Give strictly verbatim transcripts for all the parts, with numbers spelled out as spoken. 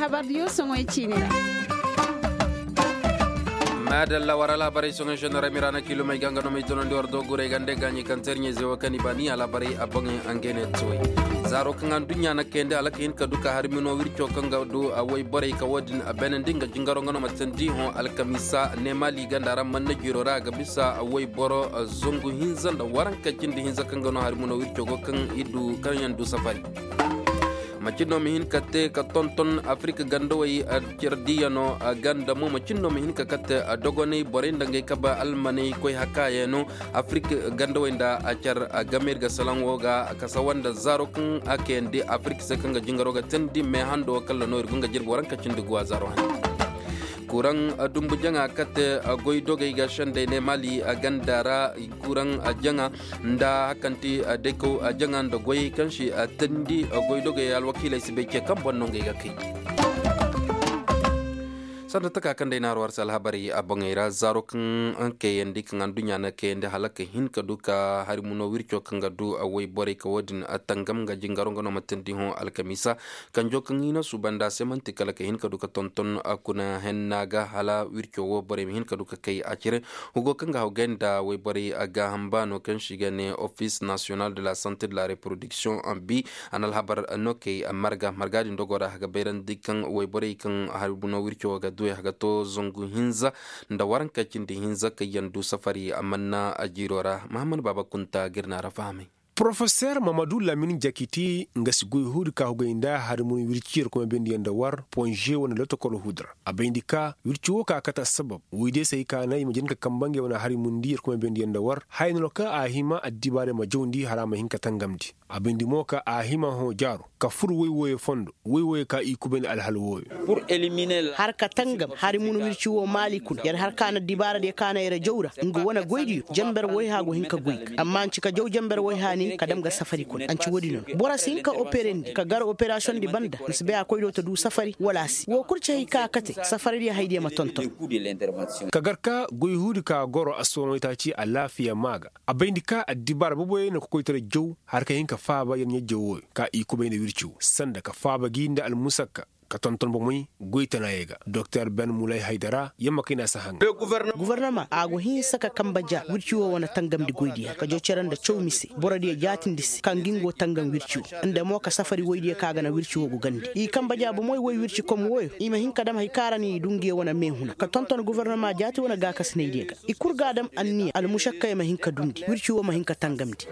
Habar diyo soŋoy ciini ra. Maadalla war alhabarey soŋoy sendora mira na kilomey ga nga no may tonandi war do guray ga nda gaaɲey kaŋ terɲey ze wo kaŋ i ba ni alhabarey a boŋey. Angay ne tuwey zaaro kaŋ anduɲɲa na kayandi hala ka hin ka du ka hari mino wirco kaŋ ga du a woy borey ka wo-din a beenandi nga jingaro nga no ma tandi hõ alkamiisa ne maali ganda ra manna jiiro ra a ga bisa a woy boro zangu hinza nda waranka cindi hinza kaŋ ga no hari mino wirco go kaŋ i du kaŋ yaŋ du safari. Macin no ma hin ka te ka tonton afirika gandawey, cardiyano ganda mo macin no ma hin ka kate dogoney borey nda ngey kaba almaney koy hakayano. Afirika gandawey nda a car game ir ga salaŋ wo ga kasawa nda zaaro kaŋ a kayandi afirika se kaŋ ga jingaro ga teendi me hando kalla no ir go nga jirbi waranka cindi guwa zaaro hane. Kuraŋ dumbu jaŋa kate goy dogey ga sendey ne maali ganda ra. Kuraŋ jaŋa nda hakanti daykaw jaŋa nda goyey kaŋ si teendi goy dogey alwakiiley si bay ce kaŋ boŋ no ngey ga kay. Sanda taka kaŋ day na har war se alhabarey a boŋey ra zaaro kaŋ kayandi kaŋ anduɲɲa na kayandi hala ka hin ka du ka hari muno wirco kaŋ ga du a woy borey ka wo-din tangam nga jingaro nga no ma teendi hõ alkamiisa. Kanjo kaŋ i na suuba nda a se man'ti kala ka hin ka du ka tonton a kuna henna ga hala wirco wo borey ma hin ka du ka kay a cire. Hugo kaŋ ga hawgay nda woy borey a gaaham baano kaŋ si ga ne office national de la santé de la reproduction en bi. A na alhabar no kay marga marga din dogo ra a ga bayrandi kaŋ woy borey kaŋ hari buno wirco wo ga duwey a ga to zangu hinza nda waranka cindi hinza kaŋ yaŋ du safari a manna a jiiro ra mahammad baaba kunta ga ir na ra fahamay. Porofeseer mamadu lamin jakiti nga si goy huudi ka hugay nda hari mun wirci yerkomey bendiyaŋ nda war ponže wane lotokol huudi ra a bayndi ka wirci wo ka kate assabab woydiyo se hay ka na i ma jin ka kamba ngey wane hari mundi yerkomey bendiyaŋ nda war haya no ka a hima addibaarey ma jawndi hala a ma hin ka tangamndi. A bayndi mo ka a hima hõ jaaro ka fur woy wooyo fondo woy wooyo ka i kubay nda alhal wooyo. Har ka tangam hari mun wirci wo maali kuna yer har ka na dibaaradiyo ka na yer jaw ra nga wane goydiyo jenber woyha go hin ka goy ga amma a nci ka jaw jenber woyha nin ka dam ga safari kuna a nci woodi no no boro si hin ka operendi ka gar operasiyondi banda ma si bay a koy do ta du safari wala a si woo kul ci hay ka kate safaradiyo haydiyo ma tonton. Ka gar ka goy huudi ka goro assoonoo itaaci alaafiya maa ga a bayndi ka addibaara boboyey na kokoytaray jaw har ka hin ka faaba yer ɲaa-jaw wooyo ka i kubay nda wirci woo sanda ka faaba gi nda almusakka ka tonton bomey goy tanaayey ga doktor ben mulay haydara yamma kay na si haŋa. Gofornoma a go hinsa ka kamba ja wirci woo wane tangamndi goydiyo ka jaw cere nda caw mise borodiyo jaatindi se ka ngi ngo tangam wirci woo nda mo ka safari woydiyo ka ga na wirci woo go gandi i kamba ja bomey woy wirci kom wooyo i ma hin ka dam hay ka ra ni i du ngiyo wane meehuna ka tonton gofornoma jaati wane gaakasinaydiyo ga i kul ga a dam anniya almušakkayoo ma hin ka dundi wirci woo ma hin ka tangamndi.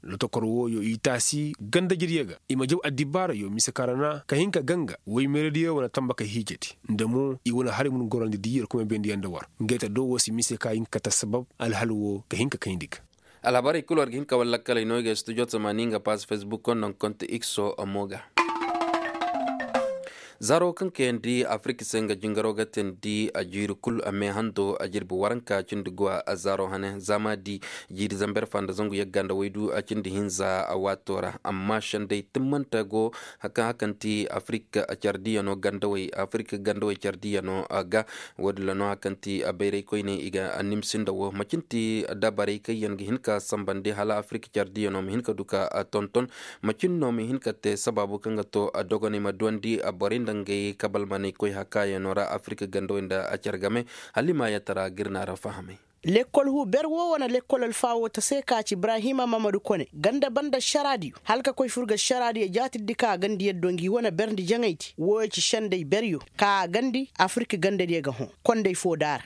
Lotokor wooyo i taasi gandajediyo ga i ma jaw addibaarayo mise ka ra na ka hin ka ganga woymeeradiyo wane tambakay hiijedi nda mo i wane hari mun gorandi di yerkomey bendiyaŋ nda war ngey ta do woo si mise ka hin ka kate assabab alhal woo ka hin ka kayndi ga. Alhabarey kul war ga hin ka war lakkaley no i ga studio tamaani nga paas fesbuk konda nga konte ikso mo ga. Zaro kaŋ kayandi afirik se nga jingaro ga teendi a jiiri kul a meehando a jirbi waranka cindi guwa a zaro hane zaama di jiiri zamber fa nda zangu yagga nda waydu a cindi hinza a waato ra amma sendey timmante go. Kaŋ hakanti afirik cardiyano gandawey afirik gandawey cardiyano ga. Woodin ra no hakanti bayray koyne i ga nimsi nda wo macin ti dabarey kaŋ yaŋ ga hin ka sambandi hala afirik cardiyano ma hin ka du ka tonton. Macin no ma hin ka te sabaabu kaŋ ga to dogoney ma duwandi borey nda ngey kabalmaney koy hakaayaŋo ra afirik gandawey nda a care game. Hala i ma yaatara ga ir na a ra fahamay. Lekkol huu ber woo wane lekkol alfaa woo ta se ka ci ibrahima mamadu kone ganda banda ašaraadiyo hala ka koy fur ga ašaraadiyo jaatirdi ka a ganda yaddo ngi wane berndi jaŋaydi wooyo ci sendey beryo ka a gandi afirik gandadiyo ga hõ. Kondey foo daara.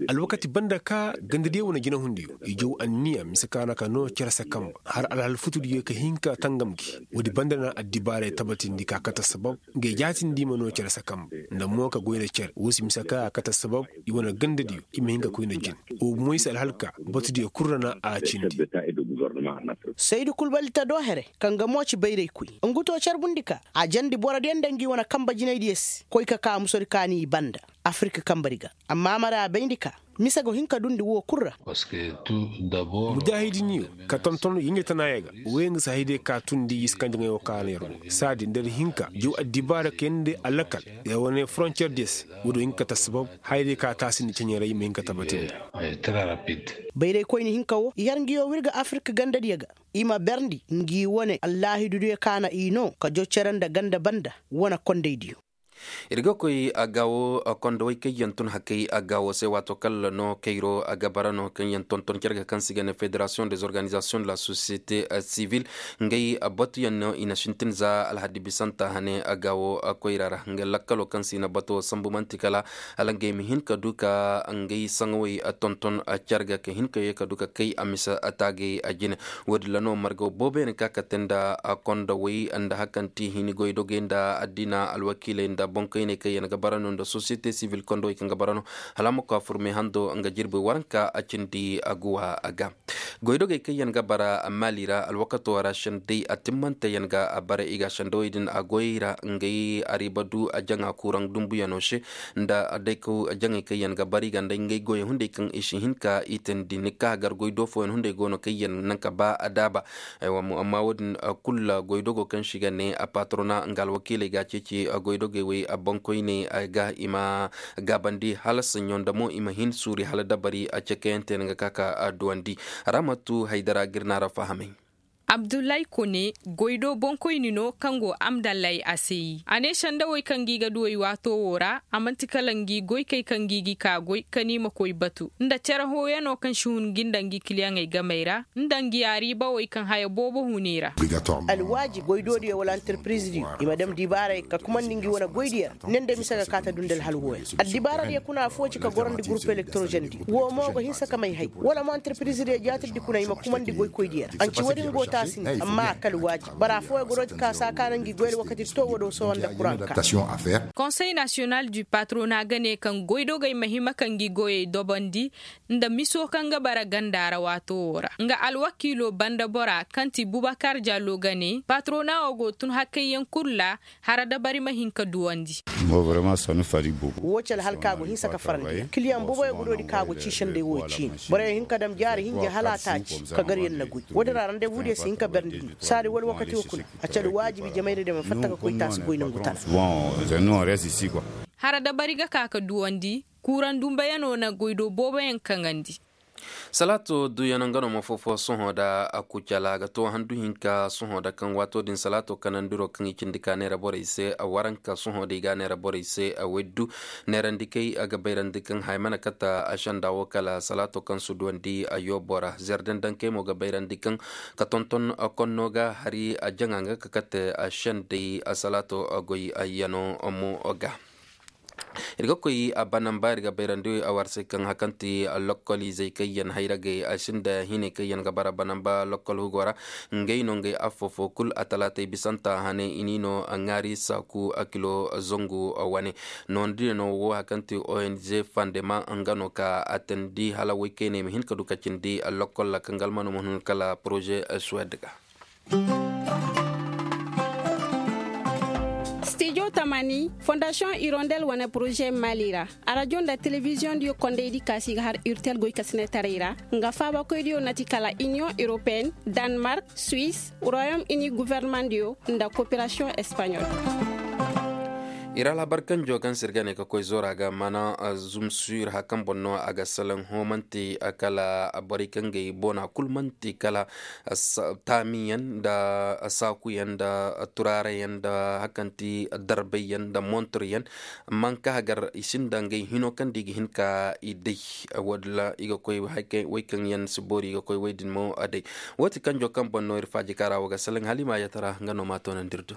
Alwakati banda ka gandadiyo wane jinahundiyo i jaw anniya mise ka na ka noo cere se kamba har alhal futudiyo ka hin ka tangam gi. Woodi banda na addibaaray tabatindi ka kate assabab ngey jaatindi ma noo cere se kamba nda mo ka goy nda cere woo si mise ka a kate assabab i wane gandadiyo i ma hin ka koy nda jin. Woo bomoy se alhal ka batudiyo kul ra na a cindi. Saydu kul balita do here kaŋ ga mo ci bayraykoy nga to carbundi ka a jandi borodiyo nda ngi wane kamba jinaydiyo se koy ka ka musodi ka ni i banda afirik kambadi ga. Amma a mara a bayndi ka Mise go hin ka dundi woo kul ra. Mujaahidiniyo ka tonton yinjatanaayey ga. Wey nga si hayday ka tundi i si kaŋ jaŋay woo ka a na yer woo saadi nda yer hin ka jaw addibaara ka yee nda alakal yer wane forontiyer diyo se. Woo do hin ka ta sabab hayday ka taasi nda ceɲeeray ma hin ka tabati nda. Bayraykoyni hinka woo i har ngi yoo w'ir ga afirik gandadiyo ga. I ma berndi ngi wane allaahidudiyo ka na i noo ka jaw cere nda ganda banda wane kondaydiyo. Ir ga koy agaawo kondowey kaŋ yaŋ tun hakey agaawo se waato kala no kayro a ga bara no kaŋ yaŋ tonton carga kaŋ se i ga ne federasiyoŋ des organizasiyoŋ de la sosiyete sivil. Ngey batuyaŋ no i na sintin za alhaddi bisanta hane agaawo koyra ra nga lakkalo kaŋ se i na bato sambu man'ti kala hala ngey ma hin ka du ka ngey saŋawey tonton carga ka hin ka ye ka du ka kay a mise taagay jine. Woodin ra no margaw booboyaŋ ka kate nda kondowey nda hakanti hini goydogey nda addina alwakiiley nda boŋkoyney kaŋ yaŋ ga bara no nda sosiyete sivil kondowey kaŋ ga bara no hala a ma koy a furme hando nga jirbi waranka a cindi aguwa a ga. Goydogey kaŋ yaŋ ga bara maali ra alwakato ra sendey a timmante yaŋ ga a bara i ga sendawey din a goy ra ngey ariiba du a jaŋa kuuraŋ dumbuyaŋo se nda daykaw jaŋey kaŋ yaŋ ga bara i ga nda ngey goyey hunday kaŋ i si hin ka i teendi ni ka gar goy do fooyaŋ hunday go no kaŋ yaŋ naŋ ka ba a daaba. Amma woodin kul goydogo kaŋ se i ga ne a patrona nga alwakiiley ga a ceeci goydogey wey boŋkoyney ga i ma gaabandi hala saɲɲo nda mo i ma hin suuri hala dabari a cekayante yaŋ ga ka ka duwandi. Ramatu haydara ga ir na ra fahamay. Abdullahi kone goydo boŋkoyni no kaŋ go amdallay a se yi a ne sendawey kaŋ gi ga duwey waato wo ra a man'ti kala ngi goykey kaŋ gi gi ka goy ka ni ma koy batu nda cere hooyano kaŋ si hun ngi nda ngi kiliyaŋey gamey ra nda ngi ariibawey kaŋ haya boobo hun i ra. Alwaajib goydoodiyo wala antarpirizidiyo i ma dam dibaarey ka kumandi ngi wane goydiyo ra ne nda mise ga kaata du nda alhal hooya. Addibaaradiyo kuna affoo ci ka gorandi gurup elektorozandiyo woo mo ga hinsa ka may hay wala mo antarpirizidiyo jaatirdi kuna i ma kumandi goykoydiyo ra anci woodin go taasi nda amma a kal waajib boro affooyaŋ ga rooti ka saa kaana ngi goy alwakati to woo do sohõ nda kuraŋ ka. Konsey nasiyonal du patrona ga ne kaŋ goydogey ma hima ka ngi goyey dobandi nda miso kaŋ ga bara ganda ra waato woo ra nga alwakiilo banda bora kaŋ ti bubakar jallo ga ne patrona woo go tun hakayyaŋ kul ra. Hara dabari ma hin ka duwandi. Woo ci alhal ka go hinsa ka farandi kiliyaŋ booboyaŋ ga doodi ka go ci senday woo ciini boroyaŋ hin ka dam jaari hinja hala a taaci ka gar yaŋ na goy woodin ra randebudiyo si hin ka berndi saadi wala wakati woo kuna a ci alwaajibi jamayra diyo ma fatta ka koy taasi goy nangu tana. Hara dabari ga ka ka duwandi kuuraŋ dumbayaŋo na goydo booboyaŋ kaŋandi. Salaato duyano nga no ma foo-foo sohõ nda kucala ga too handu hinka sohõ nda kaŋ waato din salaato kanandiro kaŋ i cindi ka neera borey se waranka sohõ nda i ga a neera borey se. Weddu neerandikey a ga bayrandi kaŋ haya mana kate a senda wo kala salaato kaŋ si duwandi a yoobo ra zerdandankey mo ga bayrandi kaŋ ka tonton konno ga hari a jaŋa nga ka kate a sendey salaato goy yano mo ga. Ir ga koy a banamba ir ga bayrandi a war se kaŋ hakanti lokkol izey kaŋ yaŋ hayragey a sinda hinay kaŋ yaŋ ga bara banamba lokkol hugo ra. Ngey no ngey affoo-foo kul a talaatey bisanta hane i n'i no ŋaari saaku a kilo zangu wane. Noodin no wo hakanti ong fandema nga no ka a teendi hala woy kayney ma hin ka du ka cindi lokkol ra kaŋ ga almano ma hun kala poroze suwed ga. Stijo tamani fondasiyoŋ irondel wane poroze mali ra. Arajo nda telebiziyoŋ diyo kondaydi kaasi ga har urtel goy kasinetaray ra. Nga faabakoy diyo na ti kala iniyoŋ europeen, danmark, suwis, royom ini guverneman diyo nda koperasiyoŋ espanyol. Ir alhabar kanjo kaŋ se ir ga ne ka koy zoora ga mana zumsur hakan boŋ no a ga salaŋ hõ man'ti kala borey kaŋ ga i boona kul man'ti kala taamiyaŋ nda saakuyaŋ nda turaarayaŋ nda hakanti darbayyaŋ nda monturyaŋ. Manka hagar i sinda ngey hino kaŋ da i ga hin ka i day. Walla i ga koy way kaŋ yaŋ si boori i ga koy way din mo a day. Woo ti kanjo kaŋ boŋ no ir faaji kaara wo ga salaŋ hala i ma a yatara nga no ma a toonandi ir do.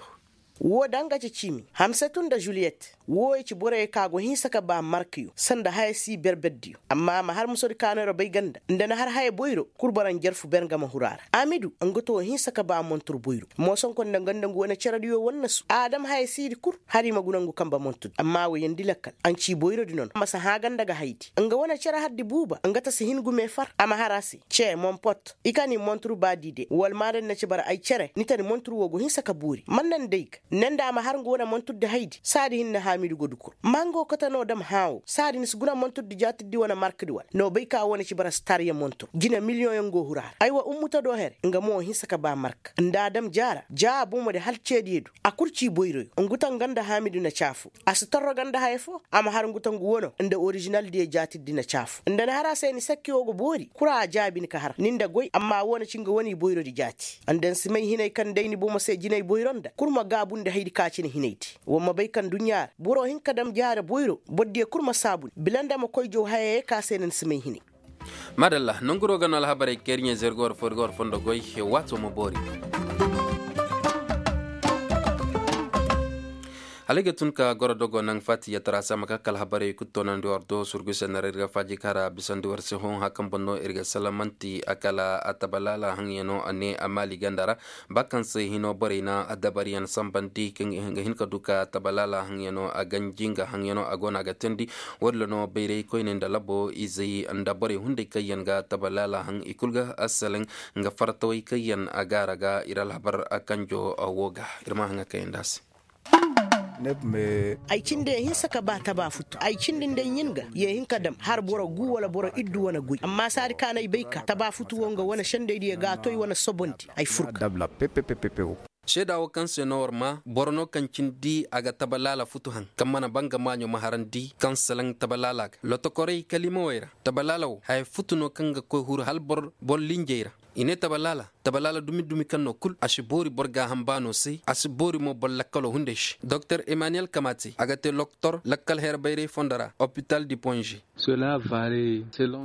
Woo da nga ci ciimi hamsatu nda juliyet woo i ci borey ka go hinsa ka ba markiyo sanda haya si berberdiyo. Amma a ma har musodi ka no ira bay ganda nda na har haya boyro kul boro njarfu ber nga ma huru a ra. Amidu nga to hinsa ka ba montur boyro moosonko nda nga nda ngu wane cerediyo wannasu a dam haya siidi kul hala i ma guna ngu kambe montudi amma wo yandi lakkal a na ci boyrodi nono a ma si hã ganda ga haydi. Nga wane cere hardi buuba nga ta si hin gume far a ma har a se ce monpot i ka ni montur ba diide wala ma daŋ na ci bara ay cere ni ta ni montur wo go hinsa ka boori man naŋ day ga. Nda nda a ma har nga wane monturdi haydi saadi hinne haamidu ga dukur ma nga wo kate no dam hãa wo saadi ni si guna monturdi jaatirdi wane markdi wala no bay ka wane ci bara si taariya montur jine miliyoŋ yaŋ go huru a ra aywa ummuta do here nga mo hinsa ka ba marka nda a dam jaara jaa bomodi hala ceediyo du a kul ci boyroyo nguta nga nda haamidu na caafu a si torro ga nda haya fo a ma har nguta ngu wano nda orizinaldiyo jaatirdi na caafu nda ni har a se ni sakki wo ga boori kura a jaabi ni ka har ni nda goy amma wo na ci nga wane i boyrodi jaati nda ni si may hinay kaŋ day ni bomo se jinay boyro nda kul ma gaabundi haydi ka cine hinaydi war ma bay kaŋ duɲɲa ra boro hin ka dam jaare boyro bordiyo kul ma saabu ni bila nda ma koy jaw hayayey ka se na ni si may hinay. Maadalla nonguro ga no alhabarey keeriɲey zergo war fo ir ga war fondo goy. Waato ma boori. Hala ay ga tun ka goro dogo naŋ faati yatara se a ma ka kala alhabarey kul toonandi war do surgu se na ra ir ga faaji kaara bisandi war se hõ hã kaŋ boŋ no ir ga salamanti a kala a tabalaala haŋyano a ne a maali ganda ra. Ba kaŋ se hino borey na dabariyaŋ sambandi kaŋ ga hin ka du ka tabalaala haŋyano a ganji nga haŋyano a go no a ga teendi. Wo- din ra no bayray koyne nda labo izey nda borey hunday kaŋ yaŋ ga tabalaala haŋ i kulu ga assalaŋ nga fartawey kaŋ yaŋ a gaara ga ir alhabar kanjo wo ga ir ma haŋa kaŋ yaŋ da a se. Ay cindi ya hinsa ka ba taba futu ay cindi nda ay ɲin ga ya hin ka dam har boro gu wala boro iddu wane guy amma saadi kaŋ ay bay ka taba futu wo nga wane sendaydiyo ga a toy wane sobondi ay fur ga. Seeda wo kaŋ se no war ma boro no kaŋ cindi a ga taba laala futu haŋ kaŋ mana ba nga maaɲo ma harandi kaŋ salaŋ taba laala ga lotokorey kalimawey ra taba laala wo haya futu no kaŋ ga koy huru hala boro linjey ra. I ne taba laala taba laala dumi dumi kaŋ no kul a si boori boro gaaham baano se a si boori mo boro lakkalo hunday se doktor emmanuel kamate a ga te loktor lakkal her bayray fondo ra opital di ponge.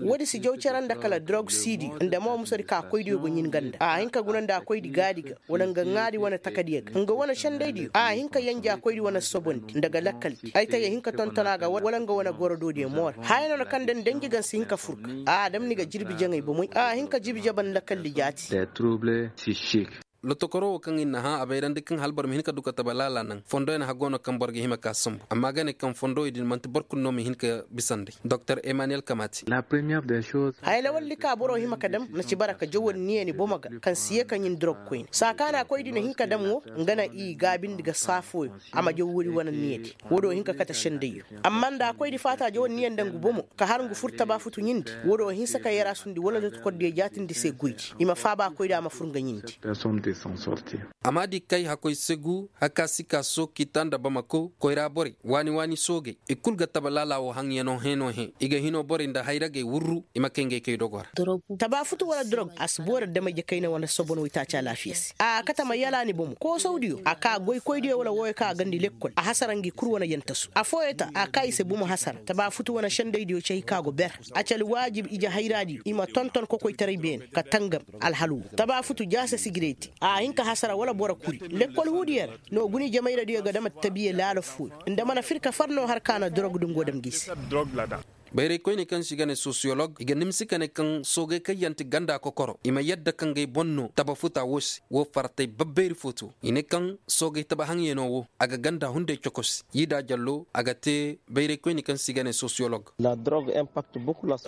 Wo- din si jaw care nda kala dorog siidi nda mo musadi ka koydiyo ga ɲin ganda a hin ka guna nda a koydi gaadi ga wala nga ŋaadi wane takadiyo ga nga wane sendaydiyo a hin ka yanja koydi wane sobondi nda ga lakkaldi ay ta ya hin ka tonton a ga wala nga wane gorodoodiyo moora haya no na kaŋ da ni danji ga ni si hin ka fur ga a dam ni ga jirbi jaŋay bomey a hin ka jirbi jaban lakkaldi jaati. Lotokoro wo kaŋ ir na hã a bayrandi kaŋ hala boro ma hin ka du ka taba laala naŋ fondoyaŋ haggo no kaŋ boro ga hima ka sambu amma ga ne kaŋ fondowey din manti boro kulu no ma hin ka bisandi doktor emmanuel kamati. Haya lawaldi ka boro hima ka dam na ci bara ka jawandi niya ni bomo ga kaŋ si ye ka ɲin dorog koyne saa ka na koydi na hin ka dam wo nga na i gaabindi ga saa fooyo a ma jaw woodi wane niyadi. Woodi wo hin ka kate sendayyo amma nda a koydi faata jawandi niya nda ngu bomo ka har ngu fur taba futu ɲindi. Woodi wo hinsa ka yarasundi wala lotokordiyo jaatindi se goydi i ma faaba koydi a ma fur nga ɲindi. A ma di kay hakoy segu haka sika sooki ta nda bamako koyra borey waani waani soogey i kul ga taba laala wo haŋyano hẽeno hẽ i ga hino borey nda hayragey wurru i ma kay ngey kay dogo ra. Taba futu wala dorog a si boori adamey jakayna wane sobon waytaaci alaafiya se a kate ma yala ni bomo koosawdiyo a ka goykoydiyo wala wooyo kaŋ a gandi lekkol a hasara ngi kul wane yantasu affooyo ta a ka i se bomo hasara taba futu wane sendaydiyo cay ka go ber. A ci alwaajib ije hayraadiyo i ma tonton kokoytaray beene ka tangam alhal wo taba futu jaase sigirey te a hin ka hasara wala boro kuri lekkol huudiyo ra. No guni jamayradiyo ga dam attabiye laala fooyo nda mana fir ka far no har ka na dorog din go dam gi se. Bayraykoyney kaŋ se i ga ne sosiyolog i ga nimsi ka ne kaŋ soogey kaŋ yaŋ ti ganda kokoro i ma yadda ka ngey boŋ no taba futa wo se wo fartay babbayri fo to i ne kaŋ soogey taba haŋyano wo a ga ganda hunday cokosi yiida jallo a ga te bayraykoyney kaŋ se i ga ne sosiyolog.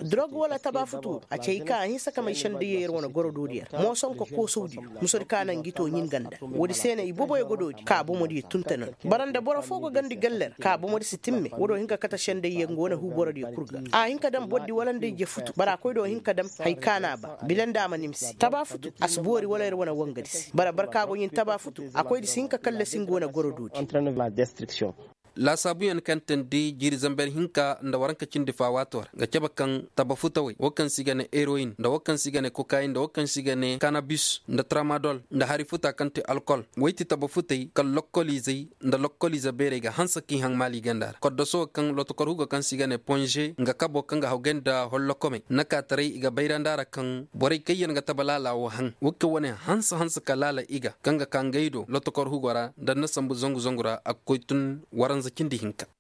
Dorog wala taba futu a ci hay kaŋ a hinsa ka may sendayyo yer wane gorodoodiyo ra moosonko koosawdiyo musodi ka naŋ gi to ɲin ganda. Woodi se no i boboyo ga doodi ka bomodiyo tunta nondi bara nda boro fo ga gandi galle ra ka bomodi si timme woodi wo hin ka kate sendayyo nga wane huuborodiyo kul ga a hin ka daŋ bordi wala nda ije futu bara koydo hin ka daŋ. Hay ka no a ba bila nda a ma nimsi taba futu a si boori wala yer wane wangadi se bara barka go ɲin taba futu a koydi si hin ka kallasi nga wane gorodoodi. Laasaabuyaŋ kaŋ teendi jiiri zamber hinka nda waranka cindi fa waato ra ga cabe kaŋ taba futawey wo kaŋ se i ga ne eroyin nda wo kaŋ se i ga ne kokayin nda wo kaŋ se i ga ne kanabis nda tramadol nda hari futa kaŋ ti alkol. Wey ti taba futey kaŋ lokkoliizey nda lokkoliize beerey ga hanse k'i haŋ maali ganda ra koddoso wo kaŋ lotokor hugo kaŋ se i ga ne ponze nga kabo kaŋ ga hawgay nda hollokomey nakaataray i ga bayrandi a ra kaŋ borey kaŋ yaŋ ga taba laala wo haŋ. Wo kaŋ wane hanse hanse ka laala i ga kaŋ ga ka ngey do lotokor hugo ra nda nda sambu zangu zangu ra a ga koy tun waranza cindi hinka.